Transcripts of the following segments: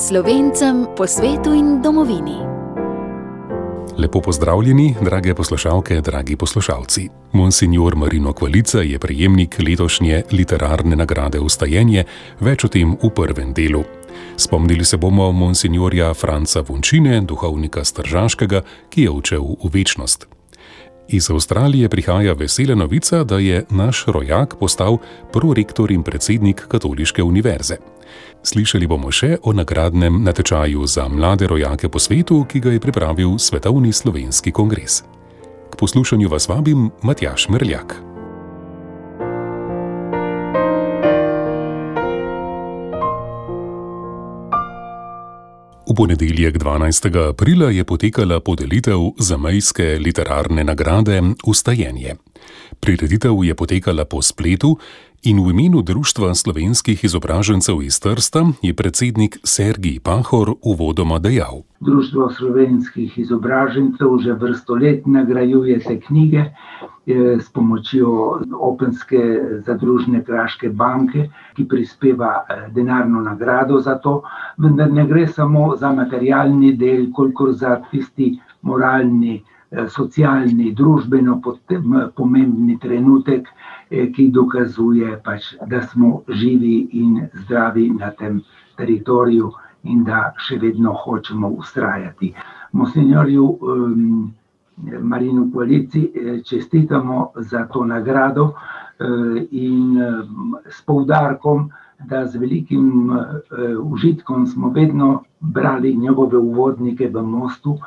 Slovencem po svetu in domovini. Lepo pozdravljeni, drage poslušalke, dragi poslušalci. Monsignor Marino Kvalica je prejemnik letošnje literarne nagrade Vstajenje, več o tem v prvem delu. Spomnili se bomo monsignorja Franca Vončine, duhovnika s Tržaškega, ki je odšel v večnost. Iz Avstralije prihaja vesela novica, da je naš rojak postal prorektor in predsednik Katoliške univerze. Slišali bomo še o nagradnem natečaju za mlade rojake po svetu, ki ga je pripravil Svetovni slovenski kongres. K poslušanju vas vabim Matjaž Merljak. V ponedeljek 12. aprila je potekala podelitev zamejske literarne nagrade Vstajenje. Prireditev je potekala po spletu in v imenu Društva slovenskih izobražencev iz Trsta je predsednik Sergij Pahor uvodoma dejal. Društvo slovenskih izobražencev že vrsto let nagrajuje te knjige s pomočjo Openske zadružne kraške banke, ki prispeva denarno nagrado za to, vendar ne gre samo za materialni del, kolikor za tisti moralni, socialni, družbeno pomembni trenutek, ki dokazuje da smo živi in zdravi na tem teritoriju in da še vedno hočemo vztrajati. Monsignorju Marinu Kvalici čestitamo za to nagrado in s poudarkom, da z velikim užitkom smo vedno brali njegove uvodnike v Mostu,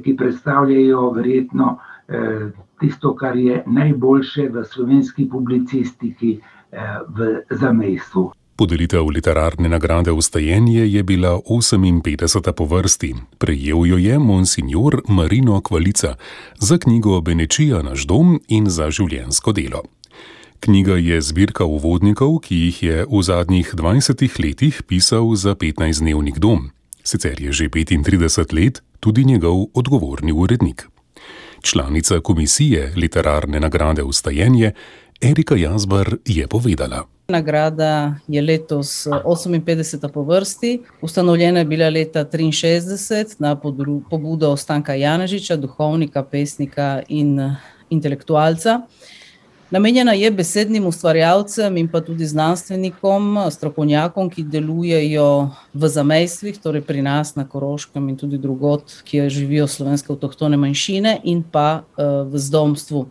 ki predstavljajo verjetno tisto, kar je najboljše v slovenski publicistiki v zamejstvu. Podelitev literarne nagrade Vstajenje je bila 58. po vrsti. Prejel jo je monsignor Marino Kvalica za knjigo Benečija naš dom in za življenjsko delo. Knjiga je zbirka uvodnikov, ki jih je v zadnjih 20 letih pisal za 15-dnevnik Dom. Sicer je že 35 let tudi njegov odgovorni urednik. Članica komisije literarne nagrade Vstajenje Erika Jazbar je povedala. Nagrada je letos 58. po vrsti. Ustanovljena je bila leta 1963 na pobudo Stanka Janežiča, duhovnika, pesnika in intelektualca. Namenjena je besednim ustvarjalcem in pa tudi znanstvenikom, strokovnjakom, ki delujejo v zamejstvih, torej pri nas na Koroškem in tudi drugod, kjer živijo slovenske avtohtone manjšine in pa v zdomstvu.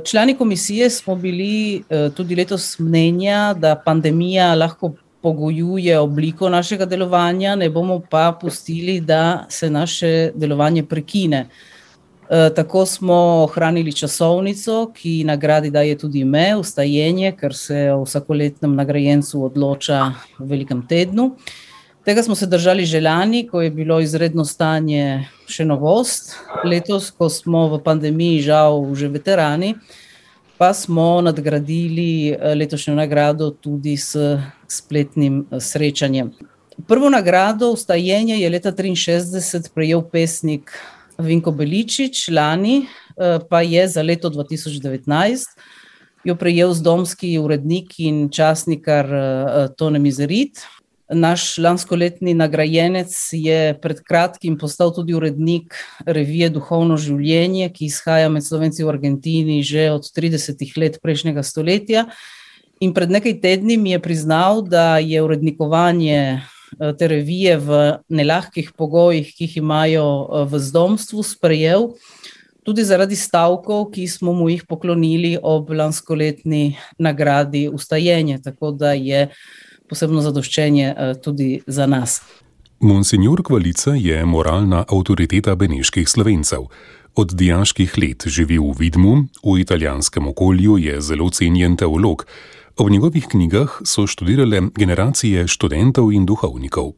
Člani komisije smo bili tudi letos mnenja, da pandemija lahko pogojuje obliko našega delovanja, ne bomo pa pustili, da se naše delovanje prekine. Tako smo ohranili časovnico, ki nagradi daje tudi ime, Vstajenje, ker se o vsakoletnem nagrajencu odloča v velikem tednu. Tega smo se držali že lani, ko je bilo izredno stanje še novost. Letos, ko smo v pandemiji žal že veterani, pa smo nadgradili letošnjo nagrado tudi s spletnim srečanjem. Prvo nagrado Vstajenje je leta 1963 prejel pesnik Vinko Beličič, lani pa je za leto 2019 jo prejel zdomski urednik in časnikar Tone Mizerit. Naš lanskoletni nagrajenec je pred kratkim postal tudi urednik revije Duhovno življenje, ki izhaja med Slovenci v Argentini že od 30 let prejšnjega stoletja. In pred nekaj tedni mi je priznal, da je urednikovanje te revije v nelahkih pogojih, ki jih imajo v zdomstvu, sprejel tudi zaradi stavkov, ki smo mu jih poklonili ob lanskoletni nagradi Vstajenje, tako da je posebno zadoščenje tudi za nas. Monsignor Kvalica je moralna avtoriteta beneških Slovencev. Od dijaških let živi v Vidmu, v italijanskem okolju je zelo cenjen teolog. V njegovih knjigah so študirale generacije študentov in duhovnikov.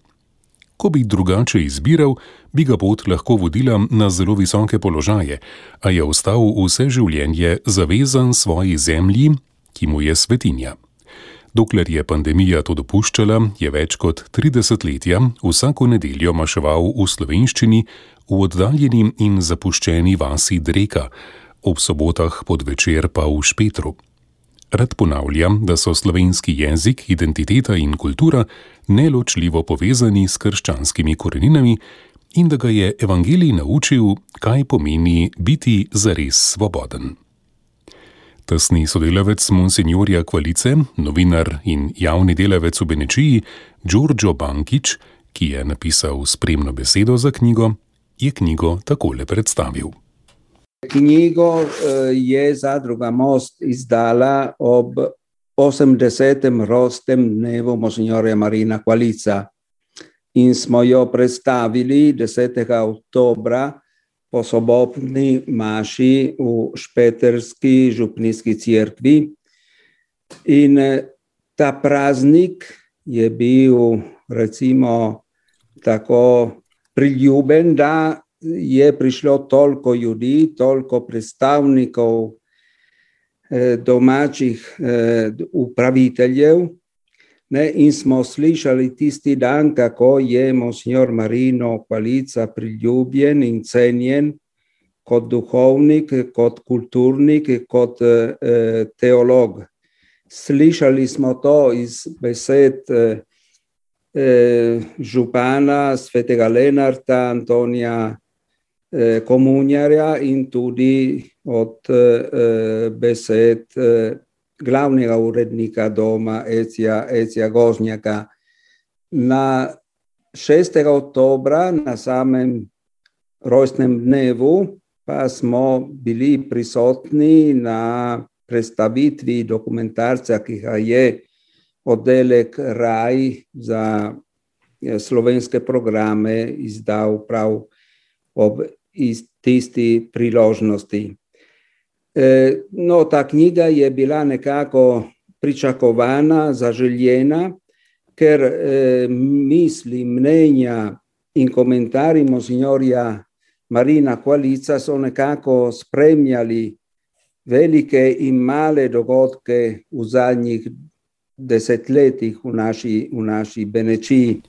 Ko bi drugače izbiral, bi ga pot lahko vodila na zelo visoke položaje, a je ostal vse življenje zavezan svoji zemlji, ki mu je svetinja. Dokler je pandemija to dopuščala, je več kot 3 desetletja vsako nedeljo maševal v slovenščini v oddaljeni in zapuščeni vasi Dreka, ob sobotah podvečer pa v Špetru. Rad ponavlja, da so slovenski jezik, identiteta in kultura neločljivo povezani s krščanskimi koreninami in da ga je evangelij naučil, kaj pomeni biti zares svoboden. Tesni sodelavec monsinjorja Kvalice, novinar in javni delavec v Benečiji, Đorđo Bankić, ki je napisal spremno besedo za knjigo, je knjigo takole predstavil. Knjigo je Zadruga Most izdala ob 80. rojstnem dnevu monsinjorja Marina Kvalica in smo jo predstavili 10. oktobra po sobotni maši v Špeterski župnijski cerkvi. In ta praznik je bil, recimo, tako priljuben, da je prišlo toliko ljudi, toliko predstavnikov domačih upraviteljev, in smo slišali tisti dan, kako je monsinjor Marino Kvalica priljubljen in cenjen kot duhovnik, kot kulturnik, kot teolog. Slišali smo to iz besed župana svetega Lenarta, Antonija Komunjarja in tudi od besed glavnega urednika doma Ecija Gožnjaka. Na 6. oktobra, na samem rojstnem dnevu, pa smo bili prisotni na predstavitvi dokumentarca, ki ga je oddelek Raj za slovenske programe izdal prav ob tisti priložnosti. No, ta knjiga je bila nekako pričakovana, zaželjena, ker misli, mnenja in komentarji monsinjorja Marina Kvalica so nekako spremljali velike in male dogodke v zadnjih desetletjih v naši Benečiji.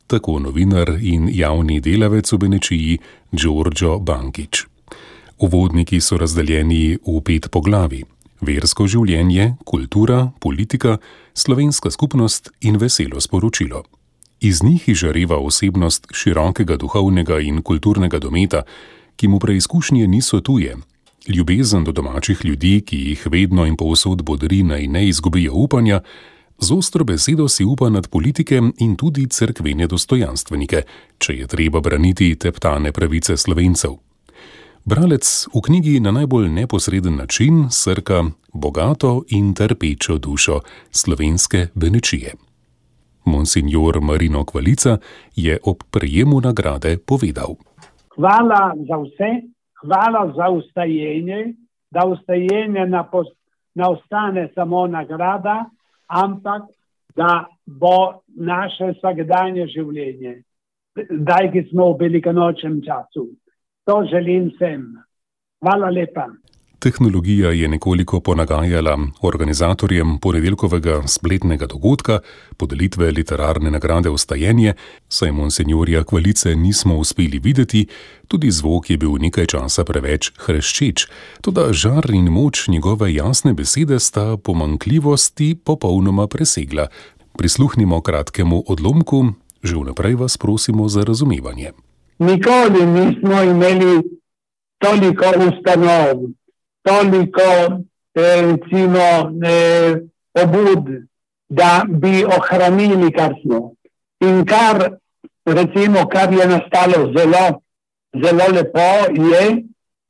Tako novinar in javni delavec v Benečiji Đorđo Bankić. Uvodniki so razdeljeni v 5 poglavij: versko življenje, kultura, politika, slovenska skupnost in veselo sporočilo. Iz njih izžareva osebnost širokega duhovnega in kulturnega dometa, ki mu preizkušnje niso tuje. Ljubezen do domačih ljudi, ki jih vedno in povsod bodri, naj ne izgubijo upanja, z ostro besedo si upa nad politike in tudi cerkvene dostojanstvenike, če je treba braniti teptane pravice Slovencev. Bralec v knjigi na najbolj neposreden način srka bogato in trpečo dušo slovenske Benečije. Monsinjor Marino Kvalica je ob prejemu nagrade povedal: Hvala za vse, hvala za vstajenje, da vstajenje ne ostane samo nagrada, ampak da bo naše vsakdanje življenje, zdaj, ki smo v velikonočnem času. To želim vsem. Hvala lepa. Tehnologija je nekoliko ponagajala organizatorjem ponedeljkovega spletnega dogodka, podelitve literarne nagrade Vstajenje, saj monsinjorja Kvalice nismo uspeli videti, tudi zvok je bil nekaj časa preveč hreščeč, toda žar in moč njegove jasne besede sta pomanjkljivosti popolnoma presegla. Prisluhnimo kratkemu odlomku, že vnaprej vas prosimo za razumevanje. Nikoli nismo imeli toliko ustanov, toliko, recimo, pobud, da bi ohranili, kar smo. In kar je nastalo zelo lepo, je,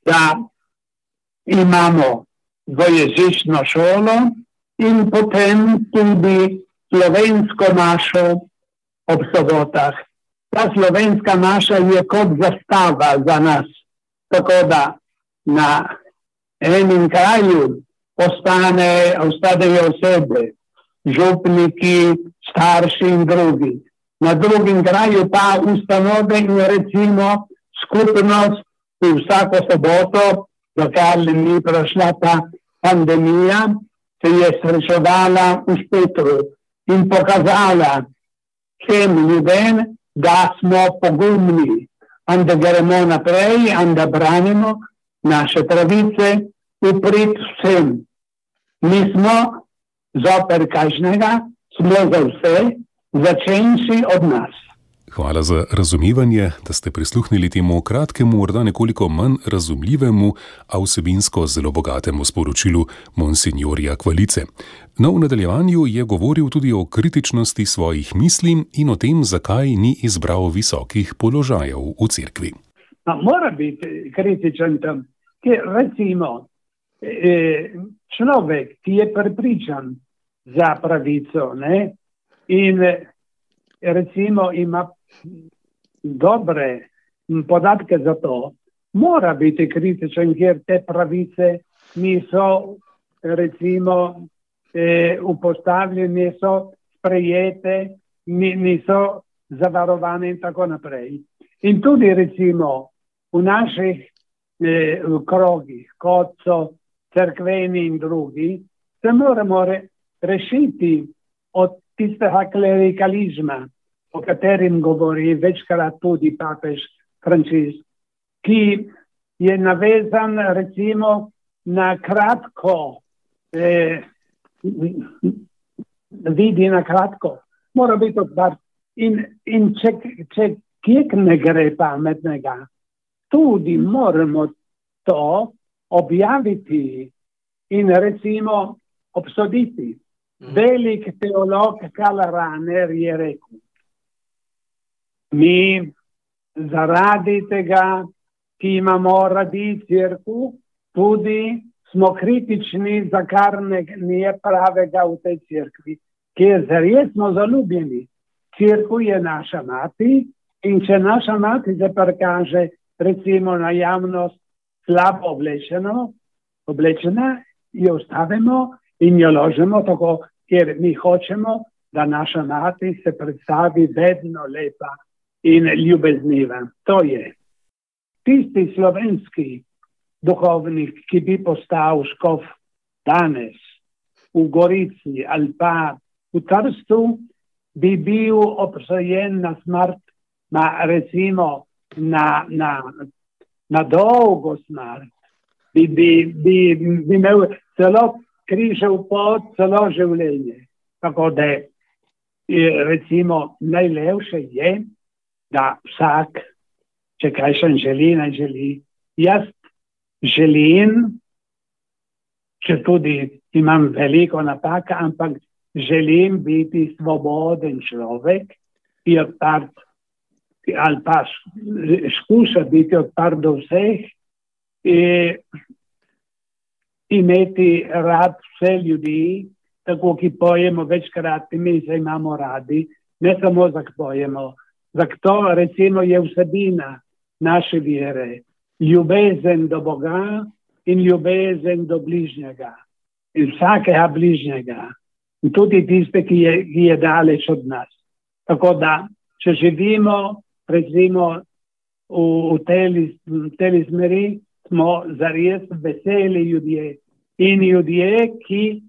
da imamo dvojezično šolo in potem tudi slovensko mašo ob sobotah. Ta slovenska maša je kot zastava za nas, tako da na enem kraju ostanejo osebe, župniki, starši in drugi. Na drugim kraju pa ustanove in recimo skupnost, ki vsako soboto, dokler ni prišla ta pandemija, se je srečevala v Špetru in pokazala vsem ljudem, da smo pogumni in da gremo naprej in da branimo naše pravice v prid vsem. Mi smo zoper kažnega, smo za vse, začenši od nas. Hvala za razumevanje, da ste prisluhnili temu kratkemu, morda nekoliko manj razumljivemu, a vsebinsko zelo bogatemu sporočilu monsinjorja Kvalice. No, v nadaljevanju je govoril tudi o kritičnosti svojih misli in o tem, zakaj ni izbral visokih položajev v cerkvi. Mora biti kritičen tam, ker recimo človek, ki je prepričan za pravico, ne, in recimo ima dobre podatke za to, mora biti kritičen, ker te pravice niso recimo upostavljene, niso sprejete, niso zavarovane in tako naprej. In tudi recimo v naših krogih, kot so cerkveni in drugi, se moramo rešiti od tistega klerikalizma, o katerem govori večkrat tudi papež Frančišek, ki je navezan recimo na kratko, vidi na kratko, mora biti odprt. In če kjek ne gre pametnega, tudi moramo to objaviti in recimo obsoditi. Velik teolog Karl Rahner je rekel, mi zaradi tega, ki imamo radi cerkev, tudi smo kritični, za kar ni pravega v tej cerkvi, ker zares smo zaljubljeni. Cerkev je naša mati in če naša mati se prikaže recimo na javnost slabo oblečena, jo ostavimo in jo ložemo tako, ker mi hočemo, da naša mati se predstavi vedno lepa in ljubezniva. To je tisti slovenski duhovnik, ki bi postal škof danes v Gorici ali pa v Trstu, bi bil obsojen na smrt, recimo na dolgo smrt. Bi imel celo križev pot, celo življenje. Tako da recimo najlepše je, da vsak, če kaj še želi, naj želi. Jaz želim, če tudi imam veliko napaka, ampak želim biti svoboden človek, ki je odprt, ali pa skuša biti odprt do vseh, imeti rad vse ljudi, tako ki pojemo večkrat, mi se imamo radi, ne samo zak pojemo. Zato recimo je vsebina naše vere, ljubezen do Boga in ljubezen do bližnjega. In vsakega bližnjega. In tudi tiste, ki je daleč od nas. Tako da, če živimo recimo v tej smeri, smo zares veseli ljudje. In ljudje, ki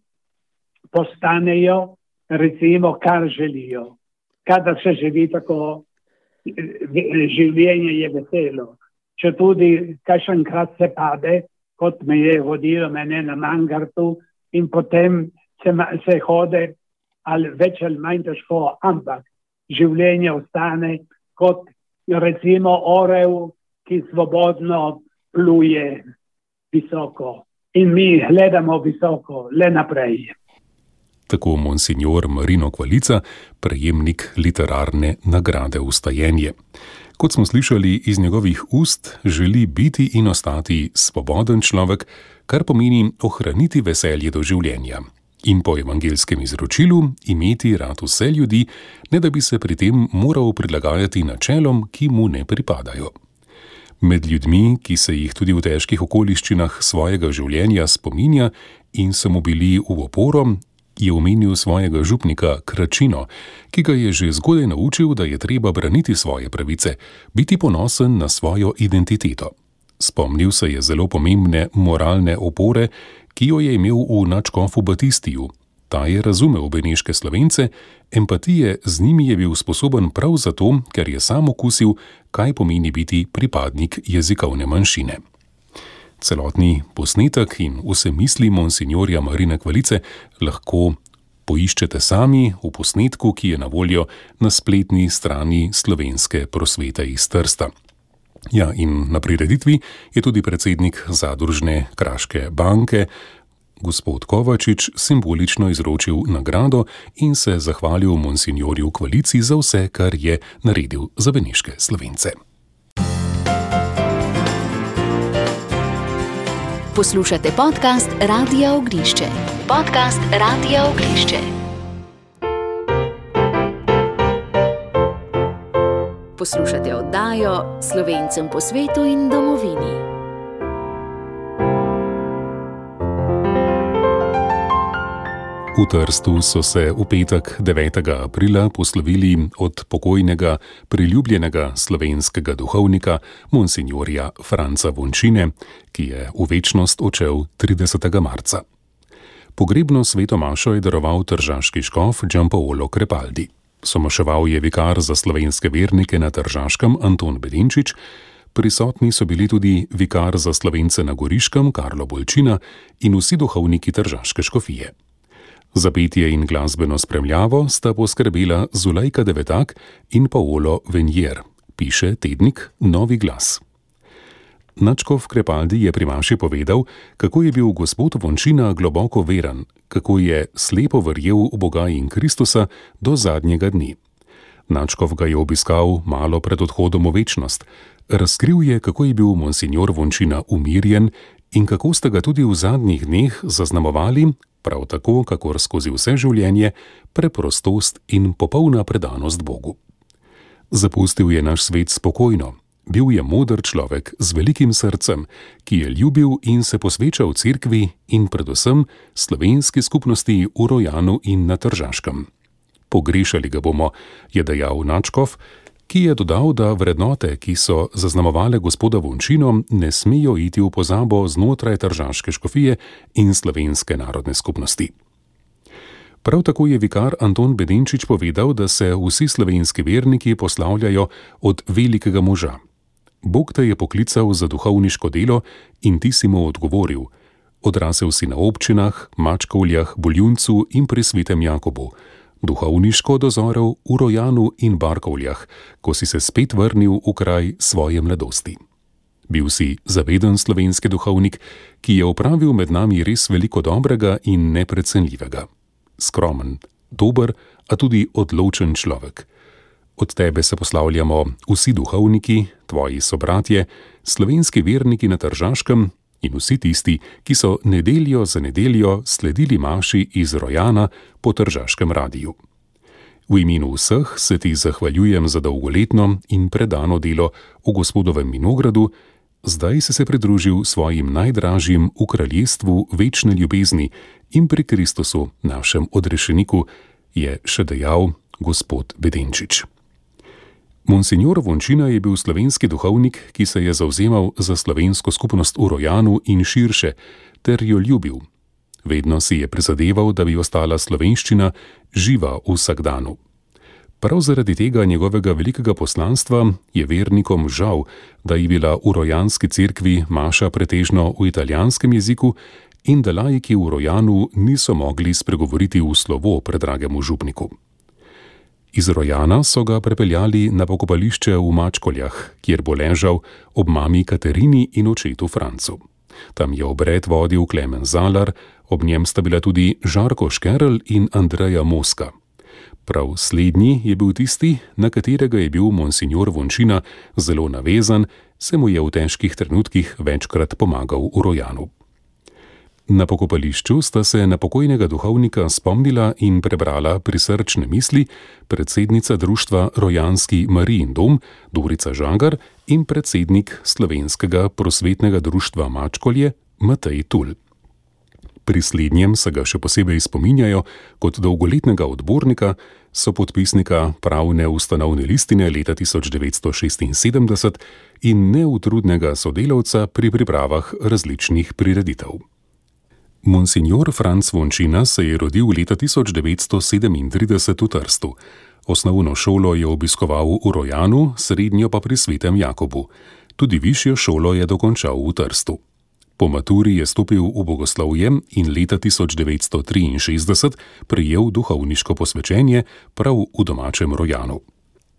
postanejo recimo, kar želijo. Kadar se živi tako, življenje je veselo. Če tudi kakšenkrat se pade, kot me je vodilo mene na Mangartu, in potem se hode ali več ali manj težko, ampak življenje ostane kot recimo orel, ki svobodno pluje visoko. In mi gledamo visoko, le naprej. Tako monsinjor Marino Kvalica, prejemnik literarne nagrade Vstajenje. Kot smo slišali iz njegovih ust, želi biti in ostati svoboden človek, kar pomeni ohraniti veselje do življenja. In po evangelskem izročilu imeti rad vse ljudi, ne da bi se pri tem moral prilagajati načelom, ki mu ne pripadajo. Med ljudmi, ki se jih tudi v težkih okoliščinah svojega življenja spominja in so mu bili v oporo, je omenil svojega župnika Kračino, ki ga je že zgodaj naučil, da je treba braniti svoje pravice, biti ponosen na svojo identiteto. Spomnil se je zelo pomembne moralne opore, ki jo je imel v nadškofu Batistiju. Ta je razumel beneške Slovence, empatije z njimi je bil sposoben prav zato, ker je sam okusil, kaj pomeni biti pripadnik jezikovne manjšine. Celotni posnetek in vse misli monsinjorja Marina Kvalice lahko poiščete sami v posnetku, ki je na voljo na spletni strani Slovenske prosvete iz Trsta. Ja, in na prireditvi je tudi predsednik Zadružne kraške banke, gospod Kovačič, simbolično izročil nagrado in se zahvalil monsinjorju Kvalici za vse, kar je naredil za beneške Slovence. Poslušate podcast Radia Ognišče. Podcast Radia Ognišče. Poslušate oddajo Slovencem po svetu in domovini. V Trstu so se v petek 9. aprila poslovili od pokojnega, priljubljenega slovenskega duhovnika monsinjorja Franca Vončine, ki je v večnost odšel 30. marca. Pogrebno sveto mašo je daroval tržaški škof Giampaolo Crepaldi. Somaševal je vikar za slovenske vernike na Tržaškem Anton Bedenčič, prisotni so bili tudi vikar za Slovence na Goriškem Karlo Bolčina in vsi duhovniki tržaške škofije. Za petje in glasbeno spremljavo sta poskrbela Zulejka Devetak in Paolo Venjer, piše tednik Novi glas. Nadškof Crepaldi je pri maši povedal, kako je bil gospod Vončina globoko veren, kako je slepo verjel v Boga in Kristusa do zadnjega dni. Nadškof ga je obiskal malo pred odhodom v večnost. Razkril je, kako je bil monsinjor Vončina umirjen in kako sta ga tudi v zadnjih dneh zaznamovali, prav tako, kakor skozi vse življenje, preprostost in popolna predanost Bogu. Zapustil je naš svet spokojno, bil je moder človek z velikim srcem, ki je ljubil in se posvečal cerkvi in predvsem slovenski skupnosti v Rojanu in na Tržaškem. Pogrešali ga bomo, je dejal nadškof, ki je dodal, da vrednote, ki so zaznamovale gospoda Vončino, ne smejo iti v pozabo znotraj tržaške škofije in slovenske narodne skupnosti. Prav tako je vikar Anton Bedenčič povedal, da se vsi slovenski verniki poslavljajo od velikega moža. Bog te je poklical za duhovniško delo in ti si mu odgovoril. Odrasel si na občinah, Mačkovljah, Boljuncu in pri Svetem Jakobu. Duhovniško dozorel v Rojanu in Barkovljah, ko si se spet vrnil v kraj svoje mladosti. Bil si zaveden slovenski duhovnik, ki je opravil med nami res veliko dobrega in neprecenljivega. Skromen, dober, a tudi odločen človek. Od tebe se poslavljamo vsi duhovniki, tvoji sobratje, slovenski verniki na Tržaškem in vsi tisti, ki so nedeljo za nedeljo sledili maši iz Rojana po Tržaškem radiju. V imenu vseh se ti zahvaljujem za dolgoletno in predano delo v gospodovem vinogradu, zdaj si se pridružil svojim najdražjim v kraljestvu večne ljubezni in pri Kristusu, našem odrešeniku, je še dejal gospod Bedenčič. Monsinjor Vončina je bil slovenski duhovnik, ki se je zavzemal za slovensko skupnost v Rojanu in širše, ter jo ljubil. Vedno si je prizadeval, da bi ostala slovenščina živa v vsakdanu. Prav zaradi tega njegovega velikega poslanstva je vernikom žal, da je bila v rojanski cerkvi maša pretežno v italijanskem jeziku in da laiki v Rojanu niso mogli spregovoriti v slovo predragemu župniku. Iz Rojana so ga prepeljali na pokopališče v Mačkoljah, kjer bo ležal ob mami Katerini in očetu Francu. Tam je obred vodil Klemen Zalar, ob njem sta bila tudi Žarko Škerl in Andreja Moska. Prav slednji je bil tisti, na katerega je bil monsinjor Vončina zelo navezan, se mu je v težkih trenutkih večkrat pomagal v Rojanu. Na pokopališču sta se na pokojnega duhovnika spomnila in prebrala prisrčne misli predsednica društva Rojanski Marijin dom Dorica Žagar in predsednik Slovenskega prosvetnega društva Mačkolje Matej Tul. Pri slednjem se ga še posebej spominjajo kot dolgoletnega odbornika, sopodpisnika pravne ustanovne listine leta 1976 in neutrudnega sodelavca pri pripravah različnih prireditev. Monsinjor Franc Vončina se je rodil leta 1937 v Trstu. Osnovno šolo je obiskoval v Rojanu, srednjo pa pri Svetem Jakobu. Tudi višjo šolo je dokončal v Trstu. Po Po maturi je stopil v bogoslovje in leta 1963 prejel duhovniško posvečenje prav v domačem Rojanu.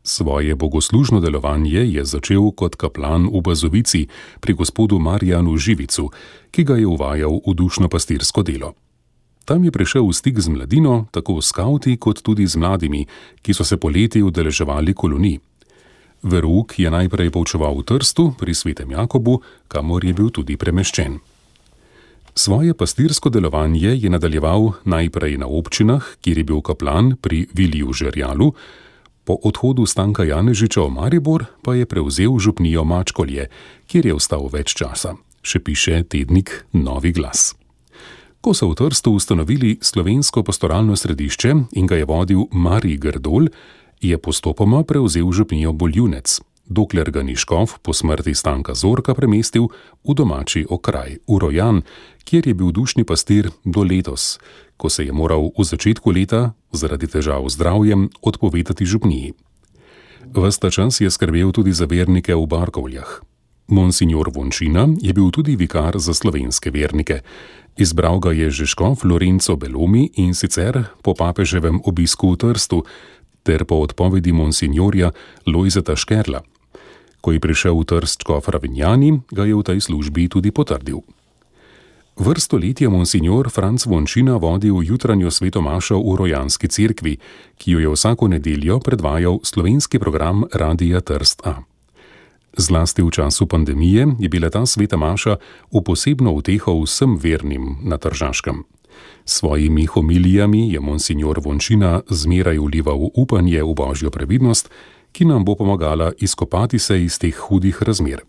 Svoje bogoslužno delovanje je začel kot kaplan v Bazovici pri gospodu Marjanu Živicu, ki ga je uvajal v dušno-pastirsko delo. Tam je prišel v stik z mladino, tako skavti kot tudi z mladimi, ki so se poleti udeleževali kolonij. Verouk je najprej poučeval v Trstu pri Svetem Jakobu, kamor je bil tudi premeščen. Svoje pastirsko delovanje je nadaljeval najprej na občinah, kjer je bil kaplan pri Viliju Žerjalu, po odhodu Stanka Janežiča v Maribor pa je prevzel župnijo Mačkolje, kjer je ostal več časa, še piše tednik Novi glas. Ko so v Trstu ustanovili slovensko pastoralno središče in ga je vodil Marij Grdol, je postopoma prevzel župnijo Boljunec, dokler ga ni škof po smrti Stanka Zorka premestil v domači okraj, v Rojan, kjer je bil dušni pastir do letos, ko se je moral v začetku leta zaradi težav z zdravjem odpovedati župniji. Ves ta čas je skrbel tudi za vernike v Barkovljah. Monsignor Vončina je bil tudi vikar za slovenske vernike. Izbral ga je že škof Lorenzo Belomi in sicer po papeževem obisku v Trstu ter po odpovedi monsignorja Lojzeta Škerla. Ko je prišel v Trst škof Ravinjani, ga je v tej službi tudi potrdil. Vrsto let je monsignor Franc Vončina vodil jutranjo svetomašo v Rojanski cerkvi, ki jo je vsako nedeljo predvajal slovenski program Radia Trst A. Zlasti v času pandemije je bila ta sveta maša v posebno uteho vsem vernim na Tržaškem. Svojimi homilijami je monsignor Vončina zmeraj vlival upanje v božjo previdnost, ki nam bo pomagala izkopati se iz teh hudih razmer.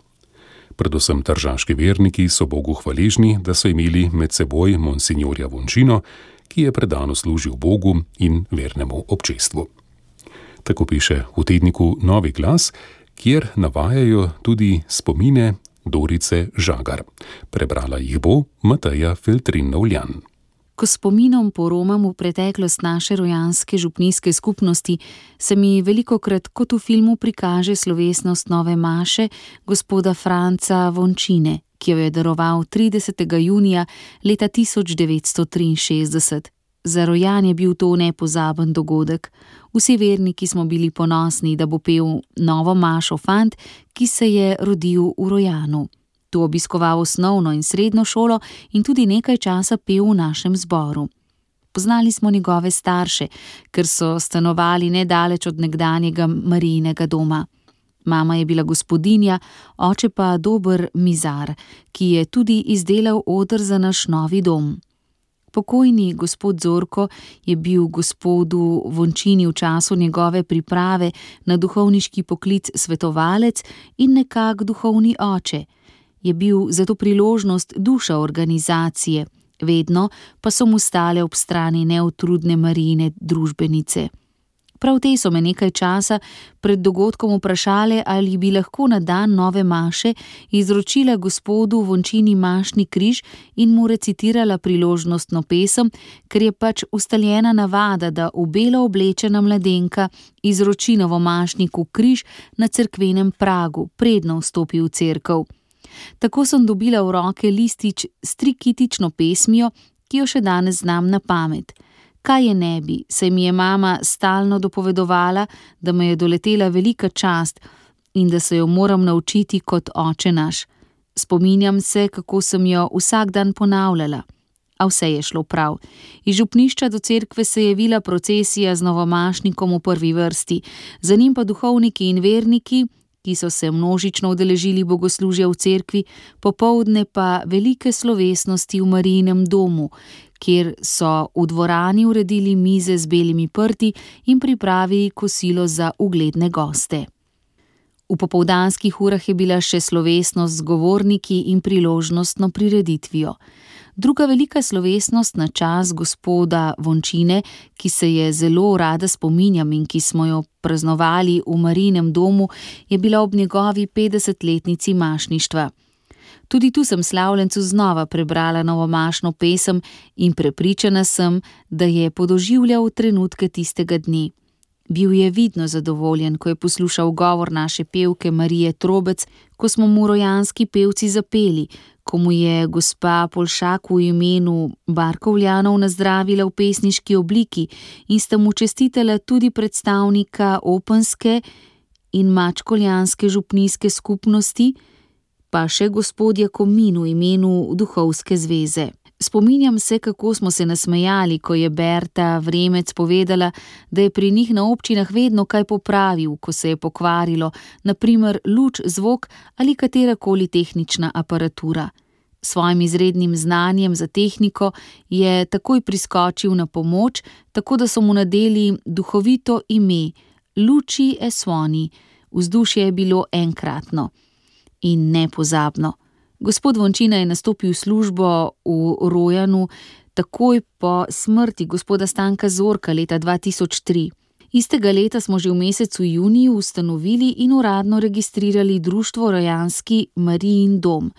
Predvsem tržaški verniki so Bogu hvaležni, da so imeli med seboj monsignorja Vončino, ki je predano služil Bogu in vernemu občestvu. Tako piše v tedniku Novi glas, kjer navajajo tudi spomine Dorice Žagar. Prebrala jih bo Mateja Feltrin-Novljan. Ko spominom poromam v preteklost naše rojanske župnijske skupnosti, se mi velikokrat kot v filmu prikaže slovesnost nove maše gospoda Franca Vončine, ki jo je daroval 30. junija leta 1963. Za Rojan je bil to nepozaben dogodek. Vsi verniki smo bili ponosni, da bo pel novo mašo fant, ki se je rodil v Rojanu. Tu obiskoval osnovno in srednjo šolo in tudi nekaj časa pel v našem zboru. Poznali smo njegove starše, ker so stanovali nedaleč od nekdanjega Marijinega doma. Mama je bila gospodinja, oče pa dober mizar, ki je tudi izdelal oder za naš novi dom. Pokojni gospod Zorko je bil gospodu Vončini v času njegove priprave na duhovniški poklic svetovalec in nekak duhovni oče. Je bil zato priložnost duša organizacije, vedno pa so mu stale ob strani neutrudne Marijine družbenice. Prav te so me nekaj časa pred dogodkom vprašale, ali bi lahko na dan nove maše izročila gospodu Vončini mašni križ in mu recitirala priložnostno pesem, ker je pač ustaljena navada, da v belo oblečena mladenka izroči novomašniku križ na cerkvenem pragu, predno vstopi v cerkev. Tako sem dobila v roke listič s trikitično pesmijo, ki jo še danes znam na pamet. Kaj je ne bi, saj mi je mama stalno dopovedovala, da me je doletela velika čast in da se jo moram naučiti kot oče naš. Spominjam se, kako sem jo vsak dan ponavljala. A vse je šlo prav. Iz župnišča do cerkve se je vila procesija z novomašnikom v prvi vrsti, za njim pa duhovniki in verniki, ki so se množično udeležili bogoslužja v cerkvi, popoldne pa velike slovesnosti v Marijinem domu, kjer so v dvorani uredili mize z belimi prti in pripravili kosilo za ugledne goste. V popoldanskih urah je bila še slovesnost z govorniki in priložnostno prireditvijo. Druga velika slovesnost na čas gospoda Vončine, ki se je zelo rada spominjam in ki smo jo praznovali v Marijinem domu, je bila ob njegovi 50-letnici mašništva. Tudi tu sem slavljencu znova prebrala novomašno pesem in prepričana sem, da je podoživljal trenutke tistega dne. Bil je vidno zadovoljen, ko je poslušal govor naše pevke Marije Trobec, ko smo mu rojanski pevci zapeli, ko mu je gospa Polšak v imenu Barkovljanov nazdravila v pesniški obliki in sta mu čestitala tudi predstavnika openske in mačkoljanske župnijske skupnosti, pa še gospodja Komin v imenu Duhovske zveze. Spominjam se, kako smo se nasmejali, ko je Berta Vremec povedala, da je pri njih na občinah vedno kaj popravil, ko se je pokvarilo, na primer luč, zvok ali katerakoli tehnična aparatura. S svojim izrednim znanjem za tehniko je takoj priskočil na pomoč, tako da so mu nadeli duhovito ime Luči e Suoni. Vzdušje je bilo enkratno in nepozabno. Gospod Vončina je nastopil službo v Rojanu takoj po smrti gospoda Stanka Zorka leta 2003. Istega leta smo že v mesecu juniju ustanovili in uradno registrirali društvo Rojanski Marijin dom.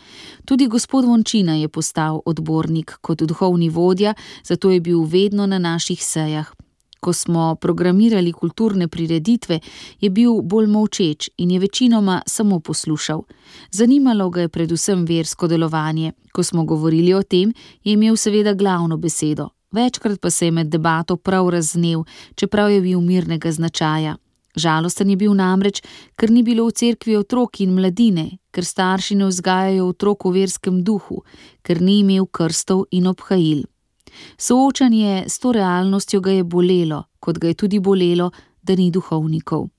Tudi gospod Vončina je postal odbornik kot duhovni vodja, zato je bil vedno na naših sejah. Ko smo programirali kulturne prireditve, je bil bolj molčeč in je večinoma samo poslušal. Zanimalo ga je predvsem versko delovanje. Ko smo govorili o tem, je imel seveda glavno besedo. Večkrat pa se je med debato prav razvnel, čeprav je bil mirnega značaja. Žalosten je bil namreč, ker ni bilo v cerkvi otrok in mladine, ker starši ne vzgajajo otrok v verskem duhu, ker ni imel krstov in obhajil. Soočanje s to realnostjo ga je bolelo, kot ga je tudi bolelo, da ni duhovnikov.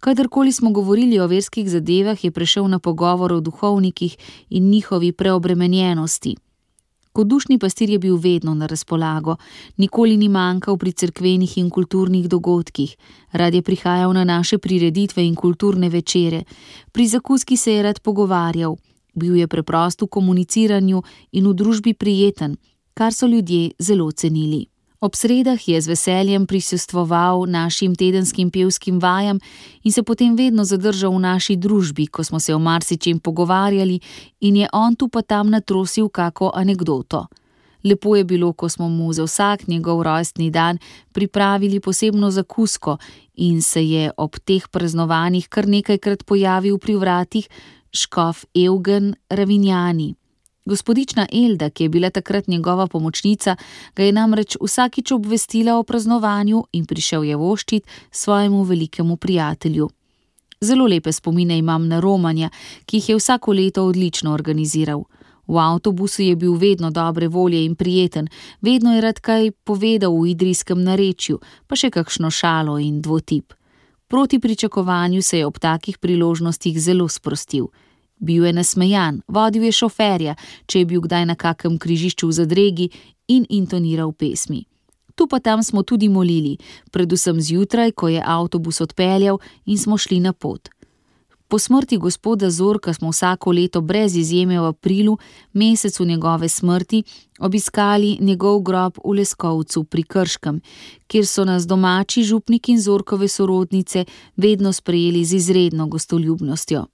Kadarkoli smo govorili o verskih zadevah, je prešel na pogovor o duhovnikih in njihovi preobremenjenosti. Kot dušni pastir je bil vedno na razpolago, nikoli ni manjkal pri cerkvenih in kulturnih dogodkih, rad je prihajal na naše prireditve in kulturne večere, pri zakuski se je rad pogovarjal, bil je preprost v komuniciranju in v družbi prijeten, kar so ljudje zelo cenili. Ob sredah je z veseljem prisostvoval našim tedenskim pevskim vajam in se potem vedno zadržal v naši družbi, ko smo se o marsičem pogovarjali in je on tu pa tam natrosil kako anekdoto. Lepo je bilo, ko smo mu za vsak njegov rojstni dan pripravili posebno zakusko in se je ob teh praznovanjih kar nekajkrat pojavil pri vratih škof Evgen Ravinjani. Gospodična Elda, ki je bila takrat njegova pomočnica, ga je namreč vsakič obvestila o praznovanju in prišel je voščit svojemu velikemu prijatelju. Zelo lepe spomine imam na romanja, ki jih je vsako leto odlično organiziral. V avtobusu je bil vedno dobre volje in prijeten, vedno je rad kaj povedal v idrijskem narečju, pa še kakšno šalo in dvotip. Proti pričakovanju se je ob takih priložnostih zelo sprostil. Bil je nasmejan, vodil je šoferja, če je bil kdaj na kakem križišču v zadregi in intoniral pesmi. Tu pa tam smo tudi molili, predvsem zjutraj, ko je avtobus odpeljal in smo šli na pot. Po smrti gospoda Zorka smo vsako leto brez izjeme v aprilu, mesecu njegove smrti, obiskali njegov grob v Leskovcu pri Krškem, kjer so nas domači župnik in Zorkove sorodnice vedno sprejeli z izredno gostoljubnostjo.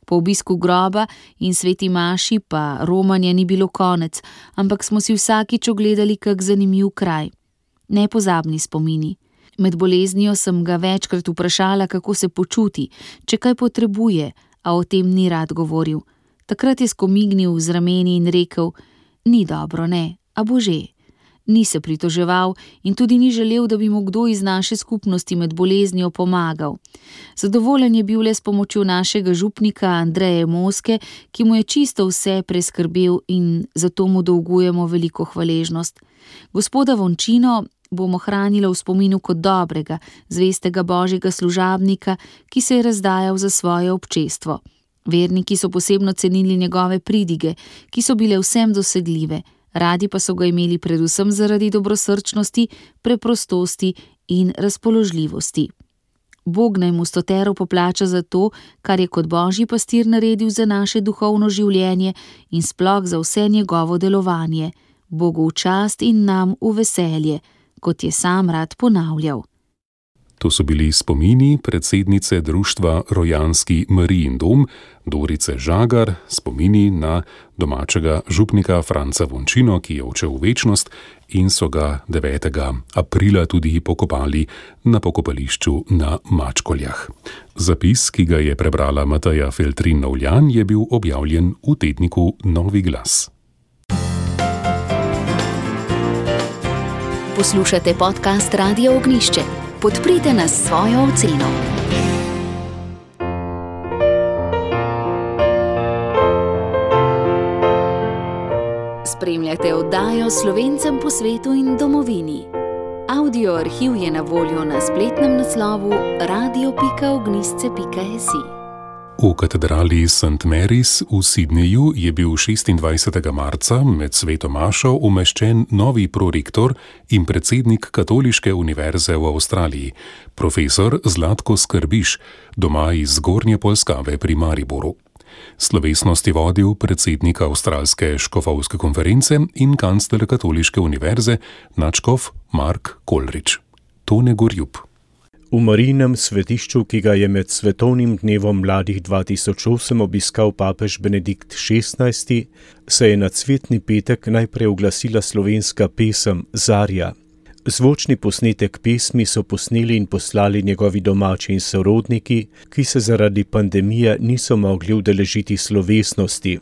Po obisku groba in sveti maši pa romanja ni bilo konec, ampak smo si vsakič ogledali kak zanimiv kraj. Nepozabni spomini. Med boleznijo sem ga večkrat vprašala, kako se počuti, če kaj potrebuje, a o tem ni rad govoril. Takrat je skomignil z rameni in rekel: "Ni dobro, ne, a bože." Ni se pritoževal in tudi ni želel, da bi mu kdo iz naše skupnosti med boleznijo pomagal. Zadovoljen je bil le s pomočjo našega župnika Andreje Moske, ki mu je čisto vse preskrbel in zato mu dolgujemo veliko hvaležnost. Gospoda Vončino bomo hranili v spominu kot dobrega, zvestega božjega služabnika, ki se je razdajal za svoje občestvo. Verniki so posebno cenili njegove pridige, ki so bile vsem dosegljive. Radi pa so ga imeli predvsem zaradi dobrosrčnosti, preprostosti in razpoložljivosti. Bog naj mu stotero poplača za to, kar je kot božji pastir naredil za naše duhovno življenje in sploh za vse njegovo delovanje. Bogu v čast in nam v veselje, kot je sam rad ponavljal. To so bili spomini predsednice društva Rojanski Marijin dom, Dorice Žagar, spomini na domačega župnika Franca Vončino, ki je odšel v večnost in so ga 9. aprila tudi pokopali na pokopališču na Mačkoljah. Zapis, ki ga je prebrala Mateja Feltrin-Novljan, je bil objavljen v tedniku Novi glas. Poslušate podcast Radia Ognjišče. Podprite nas s svojo oceno. Spremljate oddajo Slovencem po svetu in domovini. Audio arhiv je na voljo na spletnem naslovu radio.ognjišče.si. V katedrali St. Mary's v Sydneyju je bil 26. marca med sveto mašo umeščen novi prorektor in predsednik Katoliške univerze v Avstraliji, profesor Zlatko Skrbiš, doma iz Zgornje Polskave pri Mariboru. Slovesnost je vodil predsednik Avstralske škofovske konference in kancler Katoliške univerze, nadškof Mark Kolrič. Tone Gorjub. V Marijinem svetišču, ki ga je med svetovnim dnevom mladih 2008 obiskal papež Benedikt XVI, se je na cvetni petek najprej oglasila slovenska pesem Zarja. Zvočni posnetek pesmi so posneli in poslali njegovi domači in sorodniki, ki se zaradi pandemije niso mogli udeležiti slovesnosti.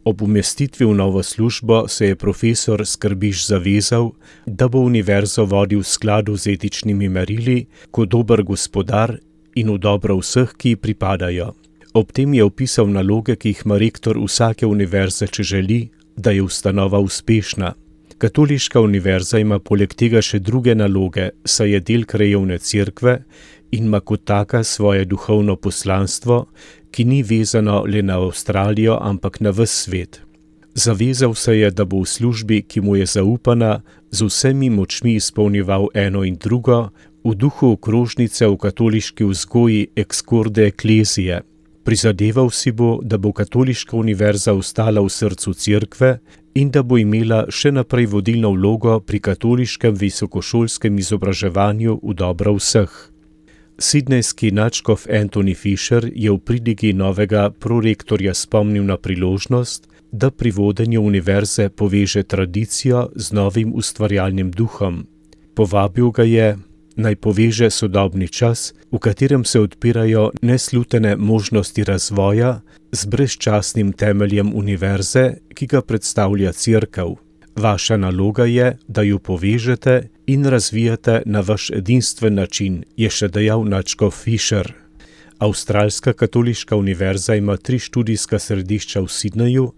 Ob umestitvi v novo službo se je profesor Skrbiš zavezal, da bo univerzo vodil v skladu z etičnimi merili, kot dober gospodar in v dobro vseh, ki ji pripadajo. Ob tem je opisal naloge, ki jih ima rektor vsake univerze, če želi, da je ustanova uspešna. Katoliška univerza ima poleg tega še druge naloge, saj je del krajevne cerkve in ima kot taka svoje duhovno poslanstvo, ki ni vezano le na Avstralijo, ampak na ves svet. Zavezal se je, da bo v službi, ki mu je zaupana, z vsemi močmi izpolnjeval eno in drugo, v duhu okrožnice v katoliški vzgoji Ex Corde Ecclesiae. Prizadeval si bo, da bo Katoliška univerza ostala v srcu cerkve in da bo imela še naprej vodilno vlogo pri katoliškem visokošolskem izobraževanju v dobro vseh. Sidnejski nadškof Anthony Fisher je v pridigi novega prorektorja spomnil na priložnost, da pri vodenju univerze poveže tradicijo z novim ustvarjalnim duhom. Povabil ga je, naj poveže sodobni čas, v katerem se odpirajo neslutene možnosti razvoja, z brezčasnim temeljem univerze, ki ga predstavlja cerkev. Vaša naloga je, da jo povežete in razvijate na vaš edinstven način, je še dejal nadškof Fisher. Avstralska katoliška univerza ima 3 študijska središča v Sydneyju,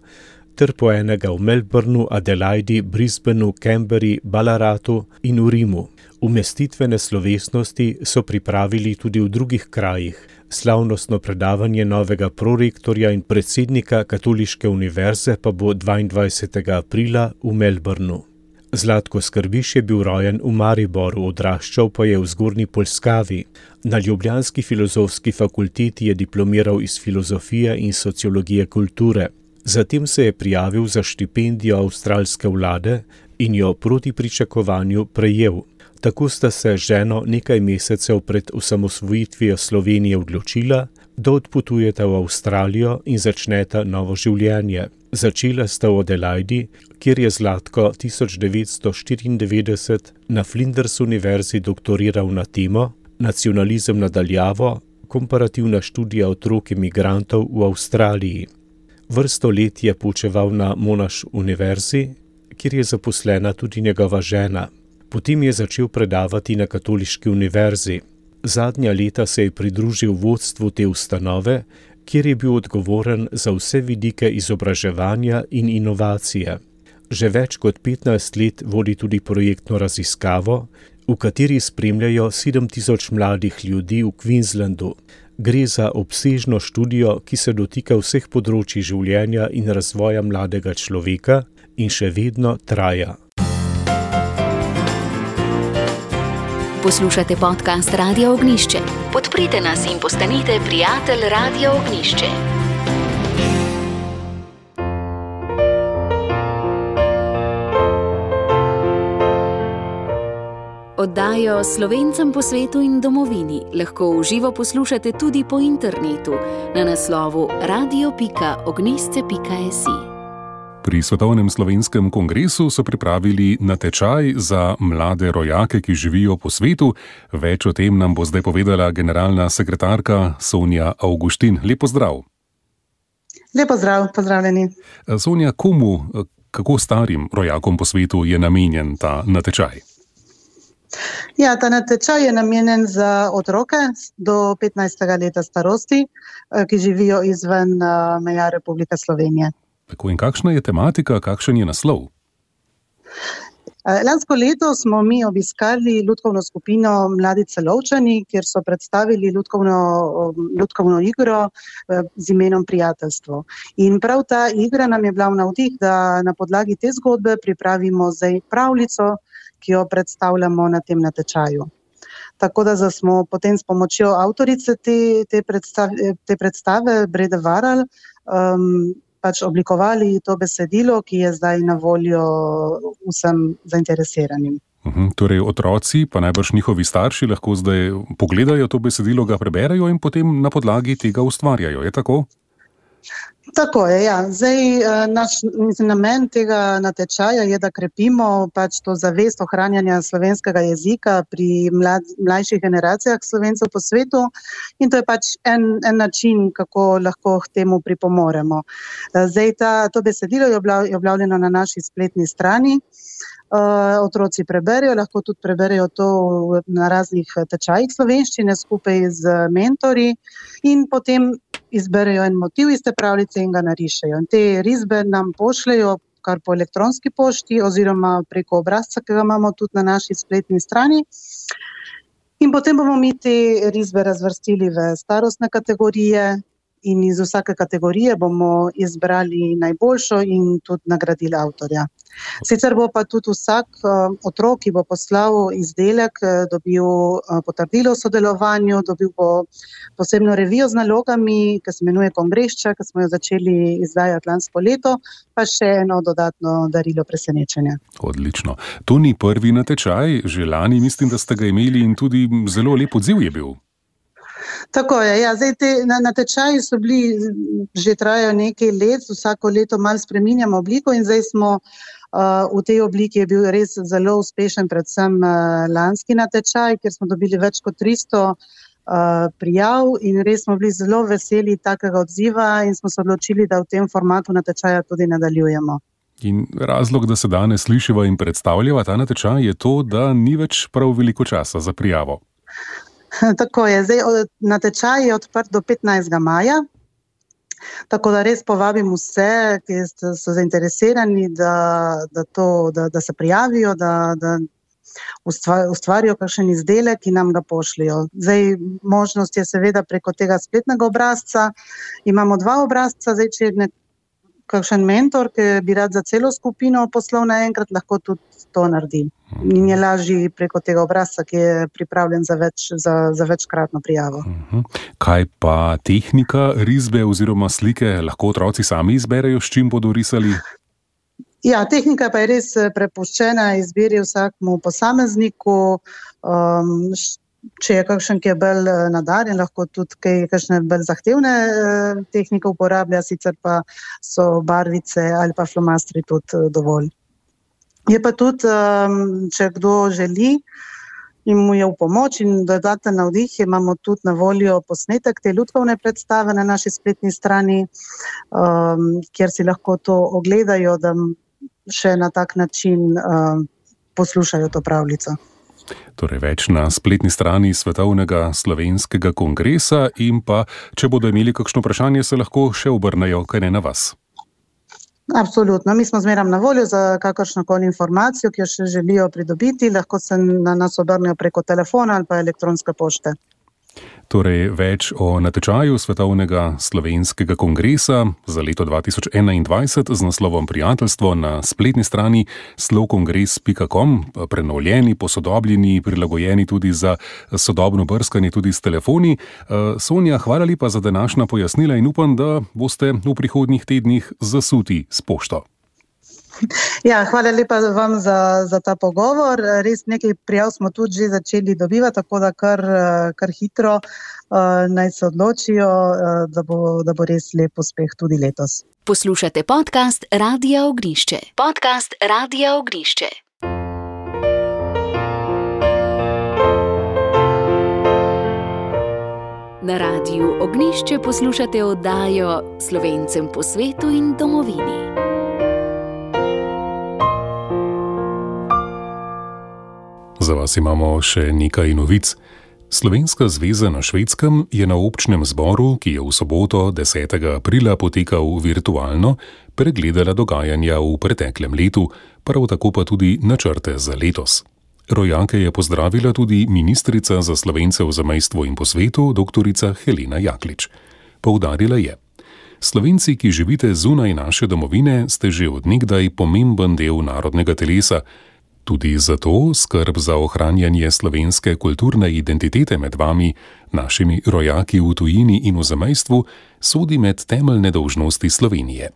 ter po enega v Melbourneu, Adelaidi, Brisbaneu, Canberri, Ballaratu in v Rimu. Umestitvene slovesnosti so pripravili tudi v drugih krajih. Slavnostno predavanje novega prorektorja in predsednika Katoliške univerze pa bo 22. aprila v Melbourneu. Zlatko Skrbiš je bil rojen v Mariboru, odraščal pa je v Zgornji Polskavi. Na ljubljanski filozofski fakulteti je diplomiral iz filozofije in sociologije kulture. Zatem se je prijavil za štipendijo avstralske vlade in jo proti pričakovanju prejel. Tako sta se ženo nekaj mesecev pred osamosvojitvijo Slovenije odločila, da odpotujeta v Avstralijo in začneta novo življenje. Začela sta v Adelaidi, kjer je Zlatko 1994 na Flinders univerzi doktoriral na temo Nacionalizem nadaljavo, komparativna študija otrok imigrantov v Avstraliji. Vrsto let je poučeval na Monash univerzi, kjer je zaposlena tudi njegova žena. Potem je začel predavati na Katoliški univerzi. Zadnja leta se je pridružil vodstvu te ustanove, kjer je bil odgovoren za vse vidike izobraževanja in inovacije. Že več kot 15 let vodi tudi projektno raziskavo, v kateri spremljajo 7000 mladih ljudi v Queenslandu. Gre za obsežno študijo, ki se dotika vseh področij življenja in razvoja mladega človeka in še vedno traja. Poslušate podcast Radia Ognjišče. Podprite nas in postanite prijatelj Radia Ognjišče. Oddajo Slovencem po svetu in domovini lahko v živo poslušate tudi po internetu na naslovu radio.ognisce.si. Pri Svetovnem slovenskem kongresu so pripravili natečaj za mlade rojake, ki živijo po svetu. Več o tem nam bo zdaj povedala generalna sekretarka Sonja Avguštin. Lep pozdrav. Lep pozdrav, pozdravljeni. Sonja, komu, kako starim rojakom po svetu je namenjen ta natečaj? Ja, ta natečaj je namenjen za otroke do 15. leta starosti, ki živijo izven meja Republike Slovenije. Tako, in kakšna je tematika, kakšen je naslov? Lansko leto smo mi obiskali lutkovno skupino Mladi Celovčani, kjer so predstavili lutkovno igro z imenom Prijateljstvo. In prav ta igra nam je bila v navdih, da na podlagi te zgodbe pripravimo zdaj pravljico, ki jo predstavljamo na tem natečaju. Tako da smo potem s pomočjo avtorice te predstave, Brede Varal, pač oblikovali to besedilo, ki je zdaj na voljo vsem zainteresiranim. Torej otroci, pa najbrž njihovi starši, lahko zdaj pogledajo to besedilo, ga preberejo in potem na podlagi tega ustvarjajo, je tako? Tako je, ja. Zdaj, naš namen tega natečaja je, da krepimo pač to zavest ohranjanja slovenskega jezika pri mlajših generacijah Slovencev po svetu, in to je pač en način, kako lahko k temu pripomoremo. Zdaj, to besedilo je objavljeno na naši spletni strani. Otroci preberejo, lahko tudi preberejo to na raznih tečajih slovenščine skupaj z mentorji in potem izberejo en motiv iz te pravljice in ga narišejo. In te risbe nam pošljejo kar po elektronski pošti oziroma preko obrazca, ki ga imamo tudi na naši spletni strani. In potem bomo mi te risbe razvrstili v starostne kategorije in iz vsake kategorije bomo izbrali najboljšo in tudi nagradili avtorja. Sicer bo pa tudi vsak otrok, ki bo poslal izdelek, dobil potrdilo o sodelovanju, dobil bo posebno revijo z nalogami, ki se imenuje Kongrešča, ki smo jo začeli izdajati lansko leto, pa še eno dodatno darilo presenečenja. Odlično. To ni prvi natečaj, že lani mislim, da ste ga imeli in tudi zelo lep odziv je bil. Tako je, ja. Zdaj natečaji so bili, že trajajo nekaj let, vsako leto malo spreminjamo obliko in zdaj smo v tej obliki je bil res zelo uspešen, predvsem lanski natečaj, kjer smo dobili več kot 300 prijav in res smo bili zelo veseli takega odziva in smo se odločili, da v tem formatu natečaja tudi nadaljujemo. In razlog, da se danes slišiva in predstavljava ta natečaj, je to, da ni več prav veliko časa za prijavo. Tako je, zdaj natečaj je odprt do 15. maja, tako da res povabim vse, ki so zainteresirani, da se prijavijo, da ustvarijo kakšen izdelek in nam ga pošljajo. Zdaj, možnost je seveda preko tega spletnega obrazca. Imamo 2 obrazca, zdaj, če je kakšen mentor, ki bi rad za celo skupino poslal naenkrat, lahko tudi to naredi. In je lažji preko tega obrazca, ki je pripravljen za večkratno prijavo. Kaj pa tehnika risbe oziroma slike? Lahko otroci sami izberejo, s čim bodo risali? Ja, tehnika pa je res prepuščena izbiri vsakmu posamezniku. Če je kakšen, ki je bolj nadarjen, lahko tudi kakšne bolj zahtevne tehnike uporablja, sicer pa so barvice ali pa flomastri tudi dovolj. Je pa tudi, če kdo želi in mu je v pomoč in dodaten navdih, imamo tudi na voljo posnetek te lutkovne predstave na naši spletni strani, kjer si lahko to ogledajo, da še na tak način poslušajo to pravljico. Torej več na spletni strani Svetovnega slovenskega kongresa in pa, če bodo imeli kakšno vprašanje, se lahko še obrnejo, kaj ne na vas. Absolutno, mi smo zmeraj na voljo za kakršnokoli informacijo, ki jo še želijo pridobiti, lahko se na nas obrnejo preko telefona ali pa elektronske pošte. Torej več o natečaju Svetovnega slovenskega kongresa za leto 2021 z naslovom Prijateljstvo na spletni strani slovkongres.com, prenovljeni, posodobljeni, prilagojeni tudi za sodobno brskanje tudi s telefoni. Sonja, hvala lepa za današnja pojasnila in upam, da boste v prihodnjih tednih zasuti s pošto. Ja, hvala lepa vam za ta pogovor. Res nekaj prijav smo tudi že začeli dobivati, tako da kar hitro naj se odločijo, da bo res lep uspeh tudi letos. Poslušate podcast Radia Ognišče. Podcast Radia Ognišče. Na Radiu Ognišče poslušate oddajo Slovencem po svetu in domovini. Za vas imamo še nekaj novic. Slovenska zveza na Švedskem je na občnem zboru, ki je v soboto 10. aprila potekal virtualno, pregledala dogajanja v preteklem letu, prav tako pa tudi načrte za letos. Rojake je pozdravila tudi ministrica za Slovence v zamejstvu in po svetu, doktorica Helena Jaklič. Poudarila je: Slovenci, ki živite zunaj naše domovine, ste že od nekdaj pomemben del narodnega telesa. Tudi zato skrb za ohranjanje slovenske kulturne identitete med vami, našimi rojaki v tujini in v zamejstvu, sodi med temeljne dolžnosti Slovenije.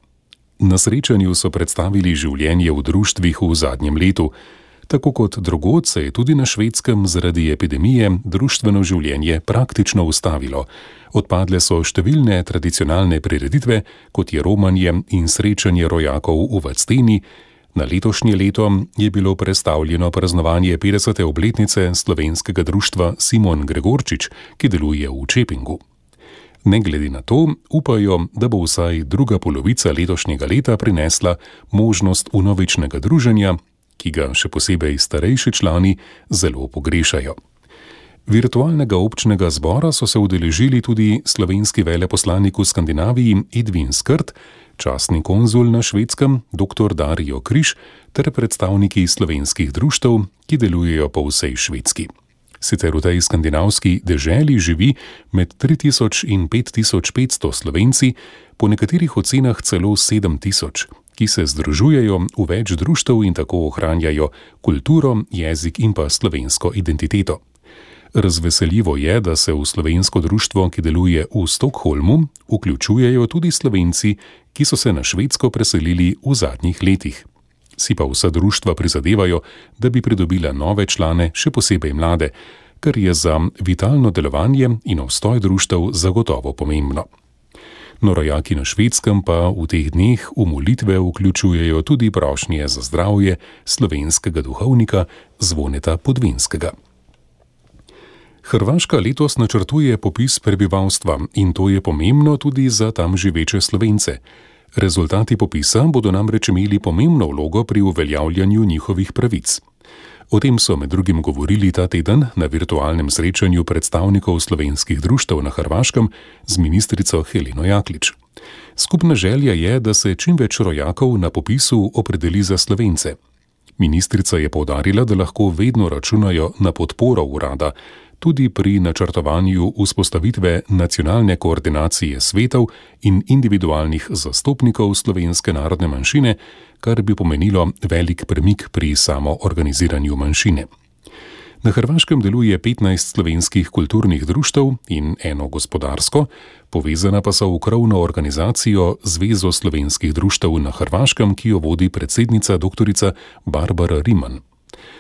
Na srečanju so predstavili življenje v društvih v zadnjem letu. Tako kot drugod se je tudi na Švedskem zaradi epidemije društveno življenje praktično ustavilo. Odpadle so številne tradicionalne prireditve, kot je romanje in srečanje rojakov v Vadsteni. Na letošnje leto je bilo prestavljeno praznovanje 50. obletnice slovenskega društva Simon Gregorčič, ki deluje v Čepingu. Ne glede na to, upajo, da bo vsaj druga polovica letošnjega leta prinesla možnost vnovičnega druženja, ki ga še posebej starejši člani zelo pogrešajo. Virtualnega občnega zbora so se udeležili tudi slovenski veleposlanik v Skandinaviji Edvin Skrt, častni konzul na Švedskem dr. Dario Križ ter predstavniki slovenskih društev, ki delujejo po vsej Švedski. Sicer v tej skandinavski deželi živi med 3000 in 5500 Slovenci, po nekaterih ocenah celo 7000, ki se združujejo v več društev in tako ohranjajo kulturo, jezik in pa slovensko identiteto. Razveseljivo je, da se v slovensko društvo, ki deluje v Stockholmu, vključujejo tudi Slovenci, ki so se na Švedsko preselili v zadnjih letih. Si pa vsa društva prizadevajo, da bi pridobila nove člane, še posebej mlade, kar je za vitalno delovanje in obstoj društev zagotovo pomembno. No, rojaki na Švedskem pa v teh dneh v molitve vključujejo tudi prošnje za zdravje slovenskega duhovnika Zvoneta Podvinskega. Hrvaška letos načrtuje popis prebivalstva in to je pomembno tudi za tam živeče Slovence. Rezultati popisa bodo namreč imeli pomembno vlogo pri uveljavljanju njihovih pravic. O tem so med drugim govorili ta teden na virtualnem srečanju predstavnikov slovenskih društev na Hrvaškem z ministrico Heleno Jaklič. Skupna želja je, da se čim več rojakov na popisu opredeli za Slovence. Ministrica je poudarila, da lahko vedno računajo na podporo urada, tudi pri načrtovanju vzpostavitve nacionalne koordinacije svetov in individualnih zastopnikov slovenske narodne manjšine, kar bi pomenilo velik premik pri samoorganiziranju manjšine. Na Hrvaškem deluje 15 slovenskih kulturnih društev in eno gospodarsko, povezana pa so v krovno organizacijo Zvezo slovenskih društev na Hrvaškem, ki jo vodi predsednica doktorica Barbara Riman.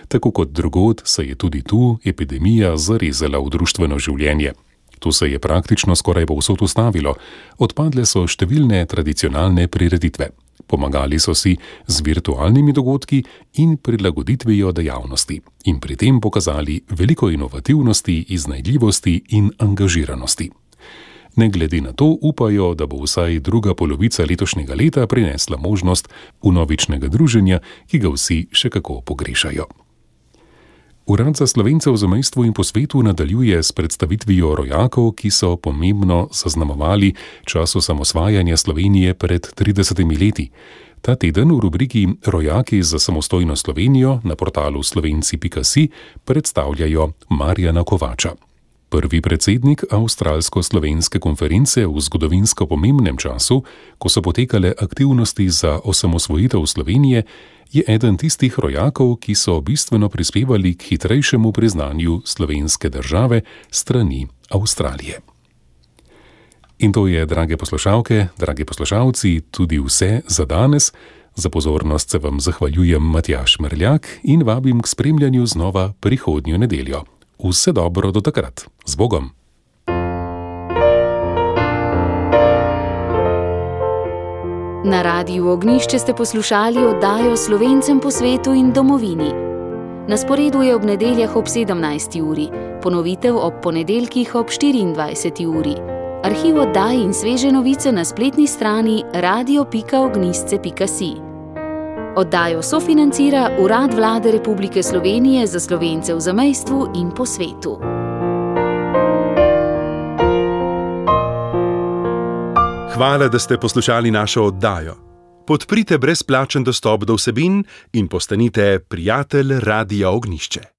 Tako kot drugod se je tudi tu epidemija zarezala v društveno življenje. Tu se je praktično skoraj povsod ustavilo, odpadle so številne tradicionalne prireditve. Pomagali so si z virtualnimi dogodki in prilagoditvijo dejavnosti in pri tem pokazali veliko inovativnosti, iznajdljivosti in angažiranosti. Ne glede na to upajo, da bo vsaj druga polovica letošnjega leta prinesla možnost vnovičnega druženja, ki ga vsi še kako pogrešajo. Urad za Slovence v zamejstvu in po svetu nadaljuje s predstavitvijo rojakov, ki so pomembno zaznamovali čas osamosvajanja Slovenije pred 30 leti. Ta teden v rubriki Rojaki za samostojno Slovenijo na portalu slovenci.si predstavljajo Marjana Kovača. Prvi predsednik Avstralsko-slovenske konference v zgodovinsko pomembnem času, ko so potekale aktivnosti za osamosvojitev Slovenije, je eden tistih rojakov, ki so bistveno prispevali k hitrejšemu priznanju slovenske države strani Avstralije. In to je, drage poslušalke, dragi poslušalci, tudi vse za danes. Za pozornost se vam zahvaljujem Matjaž Merljak in vabim k spremljanju znova prihodnjo nedeljo. Vse dobro do takrat. Z Bogom! Na Radiu Ognjišče ste poslušali oddajo Slovencem po svetu in domovini. Na sporedu je ob nedeljah ob 17. uri, ponovitev ob ponedeljkih ob 24. uri. Arhiv oddaj in sveže novice na spletni strani radio.ognjisce.si. Oddajo sofinancira Urad Vlade Republike Slovenije za Slovence v zamejstvu in po svetu. Hvala, da ste poslušali našo oddajo. Podprite brezplačen dostop do vsebin in postanite prijatelj Radia Ognjišče.